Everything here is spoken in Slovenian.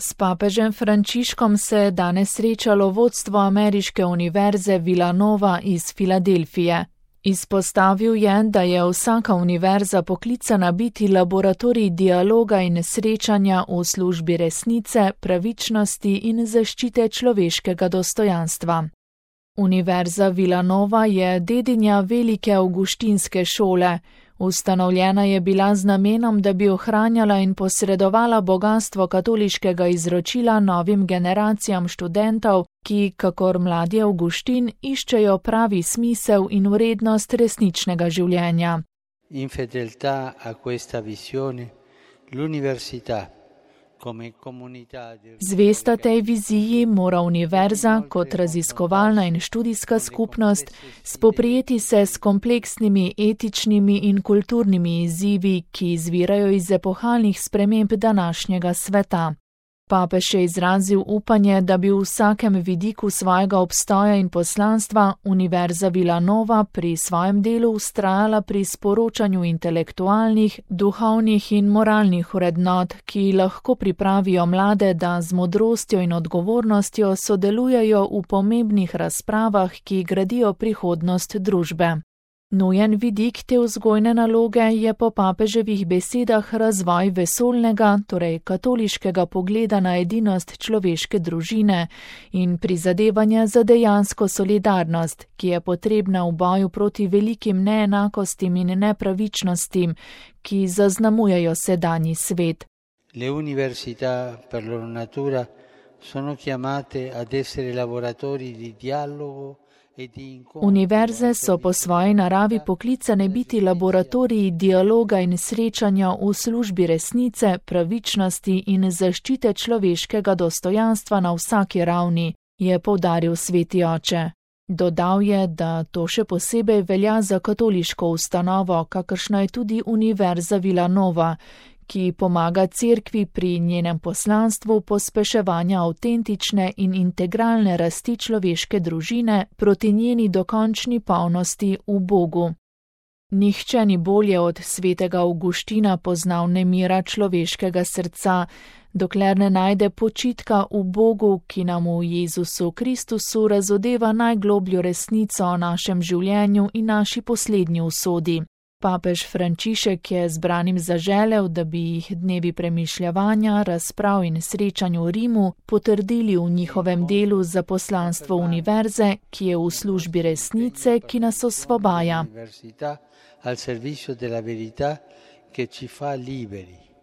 S papežem Frančiškom se je danes srečalo vodstvo ameriške univerze Villanova iz Filadelfije. Izpostavil je, da je vsaka univerza poklicana biti laboratorij dialoga in srečanja v službi resnice, pravičnosti in zaščite človeškega dostojanstva. Univerza Villanova je dedinja velike avguštinske šole. Ustanovljena je bila z namenom, da bi ohranjala in posredovala bogastvo katoliškega izročila novim generacijam študentov, ki, kakor mladi Avguštin, iščejo pravi smisel in vrednost resničnega življenja. In fedeltà a questa visione, l'università Zvesta tej viziji mora univerza kot raziskovalna in študijska skupnost spoprijeti se s kompleksnimi etičnimi in kulturnimi izzivi, ki izvirajo iz epohalnih sprememb današnjega sveta. Papež je izrazil upanje, da bi v vsakem vidiku svojega obstoja in poslanstva Univerza Villanova pri svojem delu vztrajala pri sporočanju intelektualnih, duhovnih in moralnih vrednot, ki lahko pripravijo mlade, da z modrostjo in odgovornostjo sodelujejo v pomembnih razpravah, ki gradijo prihodnost družbe. Nujen vidik te vzgojne naloge je po papeževih besedah razvoj vesoljnega, torej katoliškega pogleda na edinost človeške družine in prizadevanja za dejansko solidarnost, ki je potrebna v boju proti velikim neenakostim in nepravičnostim, ki zaznamujejo sedanji svet. Le università per loro natura sono chiamate ad essere laboratori di dialogo. Univerze so po svoji naravi poklicane biti laboratoriji dialoga in srečanja v službi resnice, pravičnosti in zaščite človeškega dostojanstva na vsaki ravni, je poudaril sveti oče. Dodal je, da to še posebej velja za katoliško ustanovo, kakršna je tudi Univerza Villanova, ki pomaga cerkvi pri njenem poslanstvu pospeševanja avtentične in integralne rasti človeške družine proti njeni dokončni polnosti v Bogu. Nihče ni bolje od svetega Avguština poznal nemira človeškega srca, dokler ne najde počitka v Bogu, ki nam v Jezusu Kristusu razodeva najglobljo resnico o našem življenju in naši poslednji usodi. Papež Frančišek je zbranim zaželel, da bi jih dnevi premišljevanja, razprav in srečanj v Rimu potrdili v njihovem delu za poslanstvo univerze, ki je v službi resnice, ki nas osvobaja. Al servizio della verità che ci fa liberi.